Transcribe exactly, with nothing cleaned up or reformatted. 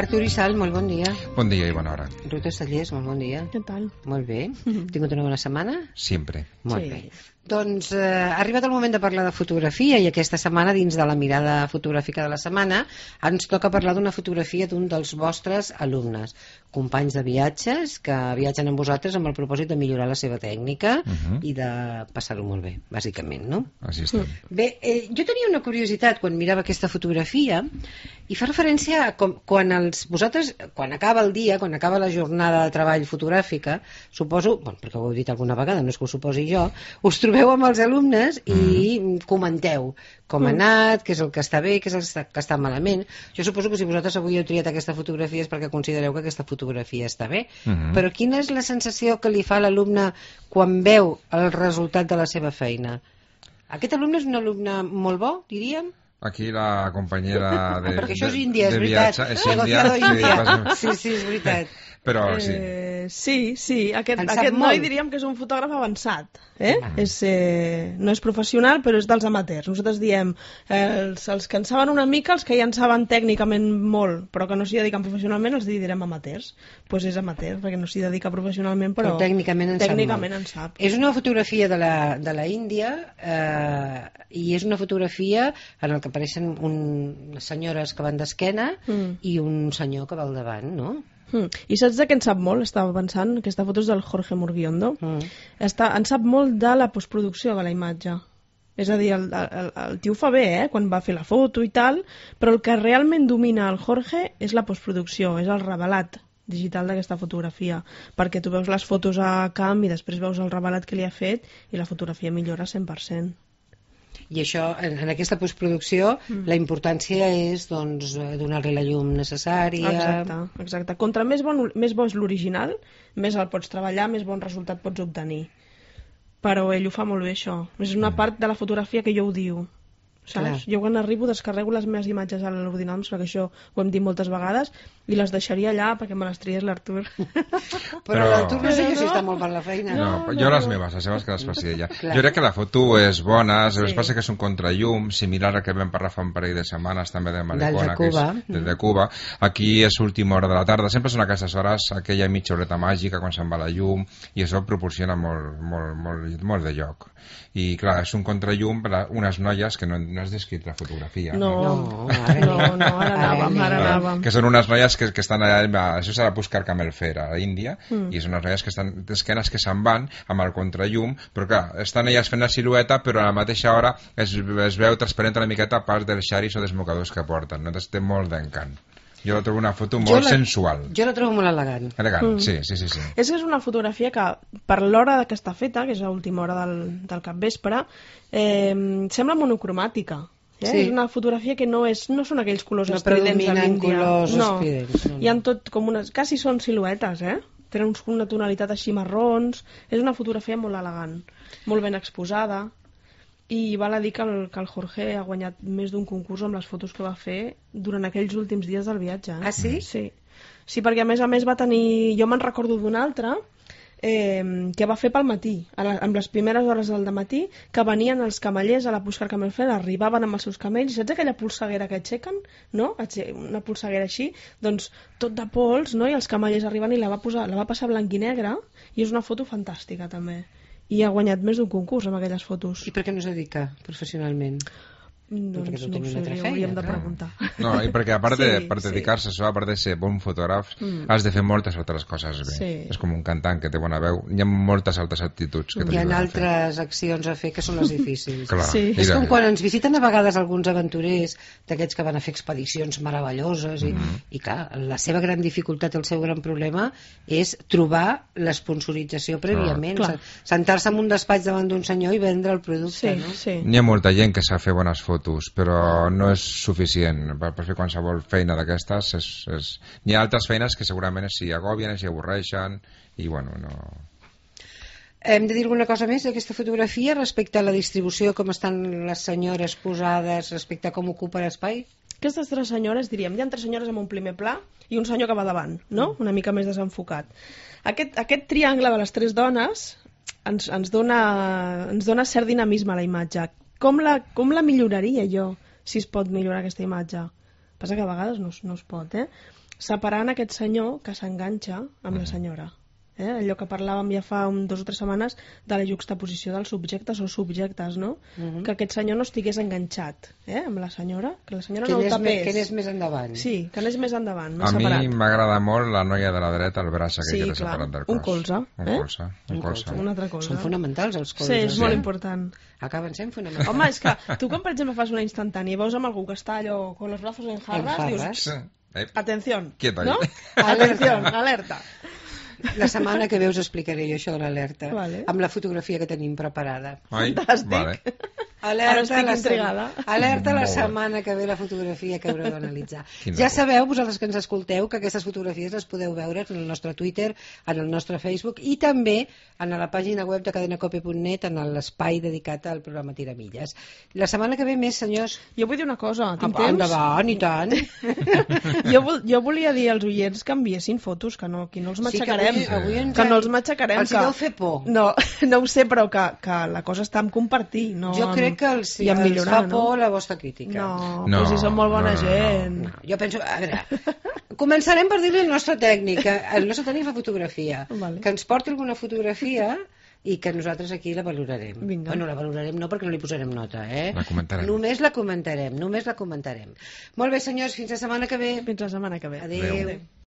Artur i Sal, molt bon dia. Bon dia i bona hora. Ruta Sallés, molt bon dia. Què tal? Molt bé. Mm-hmm. Tingut una bona setmana? Sempre. Molt Sí. bé. Doncs eh, ha arribat el moment de parlar de fotografia i aquesta setmana, dins de la mirada fotogràfica de la setmana, ens toca parlar d'una fotografia d'un dels vostres alumnes, companys de viatges que viatgen amb vosaltres amb el propòsit de millorar la seva tècnica Uh-huh. i de passar-ho molt bé, bàsicament, no? Així estem. Bé, eh, jo tenia una curiositat quan mirava aquesta fotografia i fa referència a com, quan els, vosaltres, quan acaba el dia, quan acaba la jornada de treball fotogràfica, suposo, bueno, perquè ho heu dit alguna vegada, no és que ho suposi jo, us trobeu amb els alumnes i mm. comenteu com ha anat, què és el que està bé, què és el que està malament. Jo suposo que si vosaltres avui heu triat aquesta fotografia és perquè considereu que aquesta fotografia està bé, Mhm. però quina és la sensació que li fa a l'alumne quan veu el resultat de la seva feina? Aquest alumne és un alumne molt bo, diríem? Aquí la companyera de, Perquè això és de- Índia, és de veritat. viatge, és Negociado Índia, Índia. vas- Sí, sí, és veritat. Però sí. Eh, sí, sí. Aquest, En sap aquest noi molt. diríem que és un fotògraf avançat. Eh? Ah. És, eh, no és professional, però és dels amateurs. Nosaltres diem eh, els, els que en saben una mica, els que ja en saben tècnicament molt, però que no s'hi dediquen professionalment, els direm amateurs. Doncs pues és amateur, perquè no s'hi dedica professionalment, però, Però tècnicament en tècnicament sap en sap. És una fotografia de la, de la Índia eh, i és una fotografia en el que apareixen un, unes senyores que van d'esquena Mm. i un senyor que va al davant, no? Mm. I saps de què en sap molt? Estava pensant, aquesta foto és del Jorge Murguiondo. Mm. Està, en sap molt de la postproducció de la imatge. És a dir, el, el, el tio ho fa bé, eh, quan va fer la foto i tal, però el que realment domina el Jorge és la postproducció, és el revelat digital d'aquesta fotografia, perquè tu veus les fotos a camp i després veus el revelat que li ha fet i la fotografia millora cent per cent. I això, en, en aquesta postproducció, mm. la importància és doncs, eh, donar-li la llum necessària. Exacte, exacte. Contra més bon, més bo és l'original, més el pots treballar, més bon resultat pots obtenir. Però ell ho fa molt bé, això. És una part de la fotografia que jo ho diu. Saps? Clar. Jo quan arribo descarrego les meves imatges a l'ordinador, perquè això ho hem dit moltes vegades, i les deixaria allà perquè me les triés l'Artur. Però, Però- l'Artur no sé jo No. si està molt per la feina. No, no, jo les no. meves, les seves que les faci ella. Clar. Jo crec que la foto és bona, sí. Sí. Passa que és un contrallum, similar al que vam parlar fa un parell de setmanes també de Del Maricona, de que Cuba. és del de Cuba. Aquí és última hora de la tarda, sempre són aquestes hores, aquella mitja horeta màgica quan se'n va la llum, i això proporciona molt, molt, molt, molt de lloc. I clar, és un contrallum per a unes noies que no, no has descrit la fotografia. No, No, ara no, anem. no, ara Ara anàvem, anem. ara Clar, anàvem. que són unes noies que, que estan allà, això s'ha de buscar Camel Fair a l'Índia, Mm. i són unes noies que estan d'esquenes que se'n van amb el contrallum, però clar, estan elles fent la silueta, però a la mateixa hora es, es veu transparent una miqueta part dels xaris o dels mocadors que porten, no? Té molt d'encant. Jo la trobo una foto Jo molt la- sensual. Jo la trobo molt elegant. Elegant, Mm. sí, sí, sí, sí. És que és una fotografia que, per l'hora que està feta, que és l'última hora del, del capvespre, eh, sembla monocromàtica. Eh? Sí. És una fotografia que no, és, no són aquells colors No estridents de predominen l'Índia. colors no. estridents, no, no. Hi ha tot com unes... Quasi són siluetes, eh? Tenen uns- una tonalitat així marrons. És una fotografia molt elegant, molt ben exposada. I val a dir que el, que el Jorge ha guanyat més d'un concurs amb les fotos que va fer durant aquells últims dies del viatge. Eh? Ah, sí? Sí. Sí, perquè a més a més va tenir... Jo me'n recordo d'un altre eh, que va fer pel matí, a la, amb les primeres hores del matí, que venien els camellers a la Puigcar Camel Fair, arribaven amb els seus camells, saps aquella polseguera que aixequen? No? Aixe- Una polseguera així, doncs tot de pols, no? I els camellers arriben i la va, posar, la va passar blanc i negre, i és una foto fantàstica també. I ha guanyat més d'un concurs amb aquelles fotos. I per què no es dedica professionalment? Doncs perquè tu no ho tens sé, una altra li feina, hauríem de clar. preguntar. No, i perquè a part de, Sí, per sí. dedicar-se a això, a part de ser bon fotògraf, Mm. has de fer moltes altres coses bé. Sí. És com un cantant que té bona veu. Hi ha moltes altres actituds que Hi ha t'ajuden a fer. altres accions a fer que són les difícils. Clar, Sí. És mira. com quan ens visiten a vegades alguns aventurers d'aquests que van a fer expedicions meravelloses i, Mhm. i clar, la seva gran dificultat, el seu gran problema és trobar l'esponsorització prèviament, Clar. sentar-se en un despatx davant d'un senyor i vendre el producte, Sí, no? sí. N'hi ha molta gent que sap fer bones fotos, però no és suficient per, per fer qualsevol feina d'aquestes. És, és... N'hi ha altres feines que segurament s'hi agobien, s'hi avorreixen, i bueno, no... Hem de dir alguna cosa més d'aquesta fotografia respecte a la distribució, com estan les senyores posades, respecte a com ocupa l'espai? Aquestes tres senyores, diríem, hi ha tres senyores amb un primer pla i un senyor que va davant, no? Una mica més desenfocat. Aquest, aquest triangle de les tres dones ens, ens, dona, ens dona cert dinamisme a la imatge. Com la, com la milloraria jo, si es pot millorar aquesta imatge? Passa que a vegades no, es- no es pot, eh? separant aquest senyor que s'enganxa amb la senyora. Eh? Allò que parlàvem ja fa un, dos o tres setmanes de la juxtaposició dels subjectes o subjectes, no? Mhm. Que aquest senyor no estigués enganxat eh? amb la senyora, que la senyora Que no el anés, me- tapés. que anés més endavant. Sí, que anés més endavant, més A mi separat. m'agrada molt la noia de la dreta, el braç aquell Sí, que té clar. separat del cos. Un colze, Un eh? colze, un Un colze. colze. Una altra cosa. Són fonamentals els Sí, colzes. és molt eh? important. Acaben sent fonamentals. Home, és que tu quan, per exemple, fas una instantània i veus amb algú que està allò con los brazos en jarras, En dius, jarras. Sí. Eh, atención, Quieto ahí. ¿no? Alerta. Atención, alerta. La setmana que ve us explicaré jo això de l'alerta, Vale. amb la fotografia que tenim preparada. Ai, Fantàstic. vale. Alerta, Ara estic la intrigada. sem- Alerta la Molt bé. setmana que ve la fotografia que haureu d'analitzar. Quina Ja por. sabeu, vosaltres que ens escolteu, que aquestes fotografies les podeu veure en el nostre Twitter, en el nostre Facebook i també en la pàgina web de cadenacope punt net en l'espai dedicat al programa Tiramilles. La setmana que ve més, senyors. Jo vull dir una cosa, tinc Ah, temps? endavant, i tant. jo, vol, jo volia dir als oients que enviessin fotos, que no, aquí no els Sí, que matxacarem. avui- avui ens que no han- els matxacarem. els que... deu fer por. No, no ho sé, però que, que la cosa està en compartir, no Jo en- crec que els, i en els millorar, fa por la vostra crítica. No, No, però si són molt bona no, no, no. gent. No, jo penso, a veure, començarem per dir-li al nostre tècnic, que el nostre tècnic fa fotografia, Vale. que ens porti alguna fotografia i que nosaltres aquí la valorarem. Vinga. Bueno, la valorarem no perquè no li posarem nota, eh? La comentarem. Només la comentarem, només la comentarem. Molt bé, senyors, fins la setmana que ve. Fins la setmana que ve. Adéu. Adéu. Adéu.